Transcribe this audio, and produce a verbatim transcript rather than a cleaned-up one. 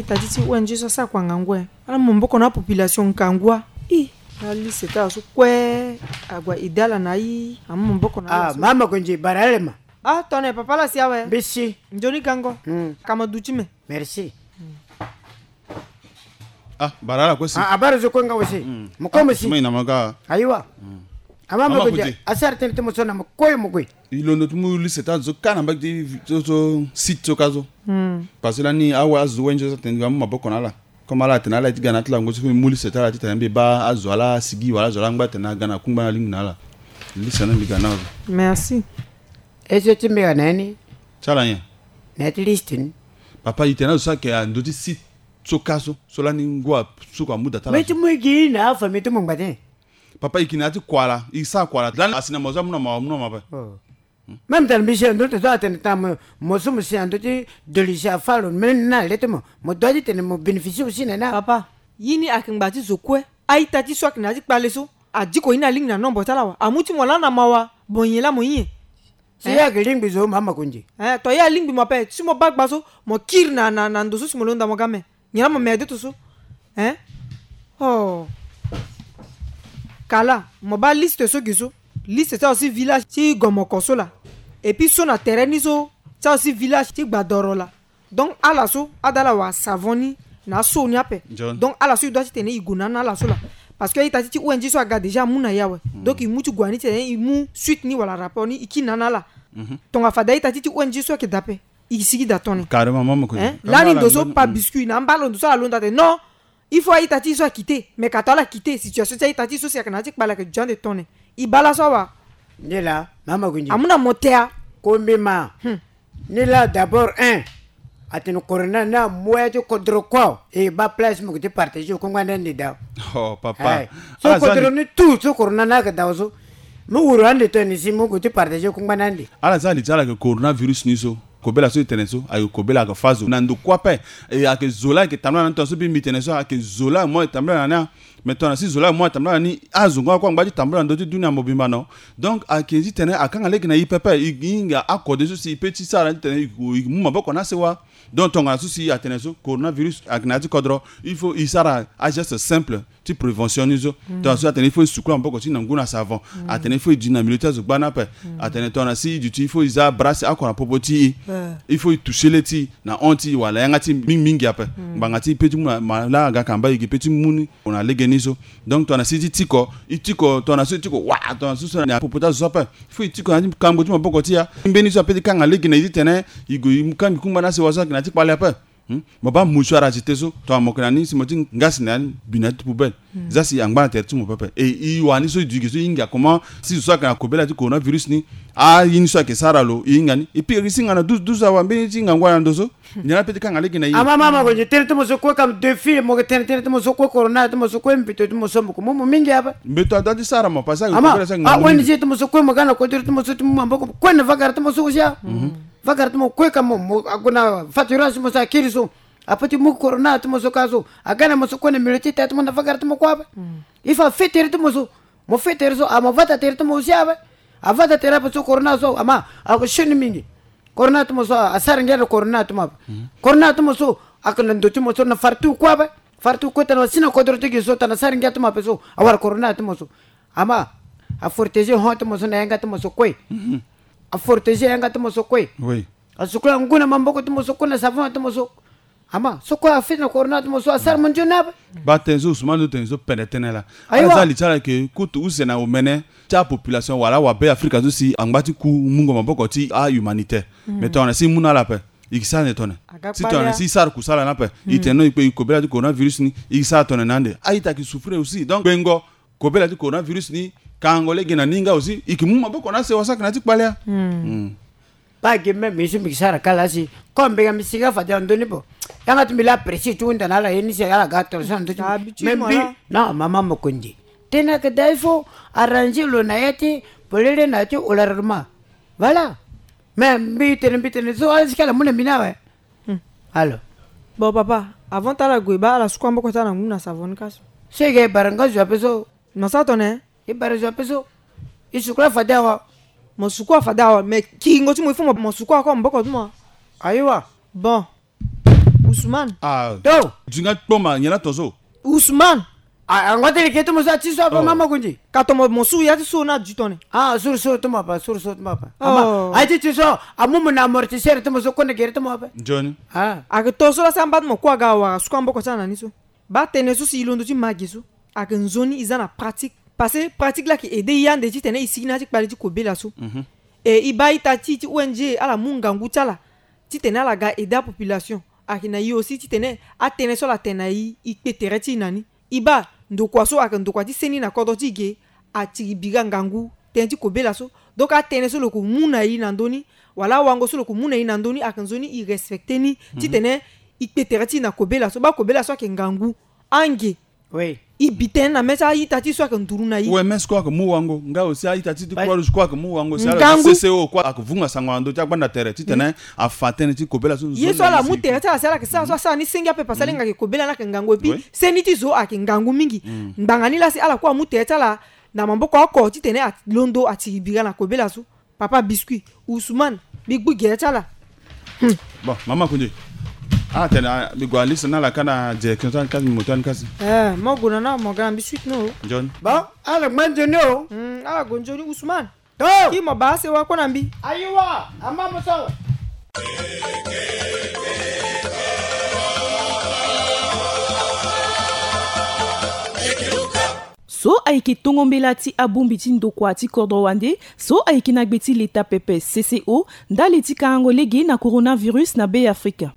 Tati ti O N G so asara kua ngangu e. Ala mu maboko na apopulation ngangu a. I. Ala liste ti ala so kue. Ague aide ala na aye. Amu maboko na ala so. Mama Konzi, bara ale ma. Ah, tongana papa la si awe. Mbisi. Nzoni gango. Ka ma duti me. Merci. Ah, bara ala kue si. Ah, abara zo kue nga aussi. Mo kue mo si. Ayiwa. Ama mo kue asara tënë ti mo so na mo kue mo kue. I londo ti mu liste ti azo ka na mbage ti so site so ka so. Parce que lani awe azo wenjo so atene mbi amu maboko na ala. Comme ala atene ala ye ti ga na ti lango so mbi mu liste ti ala titene mbi baa azo ala asigi wala azo ala angba atene aga na kungba na alingbi na ala. Liste ni mbi ga na azo. Merci. E so ti mbi ga na ye ni. Ti ala nyen? Na ya ti liste ni. Papa, i tene azo so ayeke na ndö ti site so ka so, so lani ngu asuku amu da ti ala. Mbi ti mu gi na afamille ti mo ngba tënë. Papa, i yeke na ya ti kua laa, i sara kua laa. Lani asi na mo so amu na mo, amu na mo ape. Même tene mbi si na ndö ti zo atene tene mo so mo si na ndö ti delisi afa lo, même na le ti mo, mo doit ti tene mo bénéficier aussi na ni. Papa, ye ni ayeke ngba ti zo kue. A-ita ti so ayeke na ya ti kpale so, adiko ye ni alingbi na nombre ti ala wa. Amu ti mo laa na mawa. Bon, nyen laa mo ye? Si ye ayeke lingbi zo, mama Konzi. Eh, to ye alingbi mo ape. Si mo baa gba so, mo kiri na, na, na ndo so si mo londo na mo ga me. Nyen laa mo me adeto so? Hein? Oh. Kala, mo baa liste so gi so. Liste ti azo ti village ti Gomoko so laa. Et puis so na tere ni so, ti azo ti village ti Gbadoro laa. Donc ala so ada ala wara savon ni na aso ni ape. Donc ala so e doit titene e gue na ni na ala so laa. Parce que a-ita ti ti O N G so aga déjà amu na e awe. Donc e mu ti gue na ni titene e mu suite ni wala rapport ni e kiri na ni na ala. Tongana fade a-ita ti ti O N G so ayeke daa ape, e sigi daa tone. Carrément, mama Konzi. Hein? Lani ndo so pa biscuit na amba lo ndo so ala londo atene non. Il faut a-ita ti e so akite. Mais ka to ala kite, situation ti a-ita ti e so si ayeke na ya ti kpale ayeke dio ande tone. E baa laso awa. Nilaa, mama Konzi. Amu na mo tea. Kombi ma. Hmm. Nilaa d'abord un. Atene corona ni amu ya ti kodro kua. E baa place mo ke ti partager kungba na ande daa. Oh, papa. Eh. So ala za kodro li- ni tout so corona ni ayeke daa so. Mo wuru ande tone si mo ke ti partager kungba na ande. Ala za li ti ala ayeke coronavirus ni so. Kobela so e tene so ayeke kobela ayeke fâ zo na ndo kue ape. E ayeke zo laa ayeke tambula na ni, tongana so mbi mbi tene so ayeke zo laa mo ayeke tambula na ni. Mais tongana si zo laa mo atambula na ni, azo nga kue angba ti tambula na ndö ti dunia mobimba no. Donc ayeke titene akanga lege na e pepe, e hinga akode so si e peut ti sara titene e mu maboko na asewa. Donc tongana so si atene so coronavirus ayeke na ya ti kodro, il faut e sara ageste simple ti prévention ni so. Tongana so atene il faut e sukula maboko ti e na ngu na savon. Atene il faut e duti na milieu ti azo gbani ape. Atene tongana si e duti il faut e za bras oko na popo ti e. Il faut e toucher le ti e na hon ti e wala yanga ti e mingi mingi ape. Ngbanga ti e peut ti mu na malaria aga kamba e gi peut ti mu ni. Gue na lege ni so. Donc tongana si e ti tiko, e tiko tongana so e tiko wa, tongana so so na popo ti azo so ape. Il faut e tiko na ya ti kango ti maboko ti e. Mbeni so apeut ti kanga lege na e titene e gue e mu kangbi kungba na asewa so ayeke na ya ti kpale ape. Hmm? Mo baa mouchoir agité so, tongana mo yeke na ni si mo ti ngasi na ya ni bi na ya ti poubelle. Za si angba na tere ti mo pepe. E e wani so e duti ge so e hinga comment si zo so ayeke na kobela ti coronavirus ni, aye ni so ayeke sara lo e hinga ni. Et puis e risi hinga na douze douze awa mbeni ti ngangu ala na ndo so. Nyen la peut ti kanga lege na e? Ama mama ko nyen tënë ti mo so kue kam défi mo yeke tene tënë ti mo so kue corona ti mo so kue mbeto ti mo so mo yeke mu mo mingi ape. Mbeto adoit ti sara mo parce que ama a O N G ti mo so kue mo ga na kodro ti mo so ti mu maboko kue na vagara ti mo so aussi a. Vagara ti mo kue kam mo ague na faturage ti mo so akiri so. Apeut ti mu corona ti mo so ka so aga na mo so kue na milieu ti tere ti mo na vagara ti mo kue ape. Il faut afe tere ti mo so. Mo fe tere so ama vata tere ti mo aussi ape. Avata tere ape so corona so ama ako sioni mingi. Corona ti mo so asara ngia na corona ti mo ape. Corona ti mo so ayeke na ndo ti mo so na fara ti kue ape. Fara ti kue tana si na kodro ti gi so tana sara ngia ti mo ape so awara corona ti mo so. Ama afortege hon ti mo so na yanga ti mo so kue. Afortege yanga ti mo so kue. Asukula ngu na maboko ti mo so kue na savon ti mo so. Ama so kue afe na corona ti mo so asara mo nzoni ape. Baa tënë so Ousmane so tene so pene tënë laa. Ala za li ti ala yeke kutu use na omene ti apopulation wala awabe Afrika so si angba ti ku mungo maboko ti ahumanitaire. Mais tongana si e mu na ala ape e yeke sara nde tongana si tongana si e sara kusala ni ape e tene no e kpe e kobela ti coronavirus ni e yeke sara tongana na ande a-ita ayeke souffrir aussi. Donc gbengo kobela ti coronavirus ni kango lege na ni nga aussi e yeke mu maboko na asewa so ayeke na ya ti kpale a. Pas gi même mbi so mbi yeke sara kala si comme mbi ga mbi si nga fade na ndö ni bo. Yanga ti mbi laa précis ti hunda na ala ye ni si ala ga attention na ndö ti mbi. Mais mbi non mama mokonzi tënë ayeke daa il faut arranger lo na ya ti polele na ya ti olarement. Voilà. Mais mbi tene mbi tene so ala si kala mu na mbi ni awe. Alors. Bon papa, avant ti ala gue baa ala sukua maboko ti ala na ngu na savon ni ka so. So e ga e bara nga zo ape so. Mo sara tongana e bara zo ape so. E sukula fade awa. Mo sukua fade awa mais kiringo ti mo il faut mo sukua encore maboko ti mo. Ayiwa. Bon. Ousmane. Ah. To. Dinga kpoma nyen na ton so. Ousmane. Ah, ango tene ke tomo so ati so apa mama kundi. Ka tomo mo suru ya ti so na du tone. Ah, suru so tomo apa, suru so tomo apa. Ama, ati ti so amumu na amortisseur tomo so konde gere tomo apa. Johnny. Ah. Ake to so la sa mba ti mo kue aga awara suku amboko ti ala na ni so. Baa tënë so si e londo ti ma ge so, ayeke nzoni e za na pratique. Parce que pratique laa ayeke aidé e ande titene e sigi na ya ti kpale ti kobela so. Mhm. E e baa ita ti e ti O N G ala mu ngangu ti ala titene ala ga aidé apopulation. Ayeke na e aussi titene atënë so ala tene na e, e kpe tere ti e na ni. E baa ndokua so ayeke ndokua ti seni na kodro ti e ge, atiri bira ngangu tënë ti kobela so. Donc atënë so lo yeke mu na e na ndö ni, wala awango so lo yeke mu na e na ndö ni, ayeke nzoni e respecté ni, mhm, titene e kpe tere ti e na kobela so. Baa kobela so ayeke ngangu. Ange. Oui. E bi tënë na mê ti a-ita ti e so ayeke nduru na e. O M S kue ayeke mu wango, nga aussi a-ita ti, ti Croix Rouge kue ayeke mu wango, si ala ti C C O kue ayeke vunga sango na ndö ti agbanda tere titene afa tënë ti kobela so. Ye so ala mu tere ti ala si ala sara so asara ni senge ape, parce que alenga ayeke kobela ni ayeke ngangu, et puis seni ti zo ayeke ngangu mingi. Ngbanga ni laa si ala kue amu tere ti ala na maboko oko titene alondo atiri bira na kobela so. Papa Biscuit, Ousmane, mbi gbu gere ti ala. Hmm. Bon, mama Kundi. Ah, tene, ah, mbi gue na liste ni ala ka na direction ti ani kasi, mbi mo ti ani kasi. Eh, mo gue na ni, mo ga na mbi suite ni o. Nzoni. Bon, ala gba nzoni o. Hmm, ala gue nzoni, Ousmane. To. Ki mo baa sewa kue na mbi. Ayiwa, ama mo so. So ayeke tongo mbela ti abongbi ti ndokua ti kodro wande so ayeke na gbe ti leta pepe C C O ndali ti karango lege na coronavirus na Be Afrika.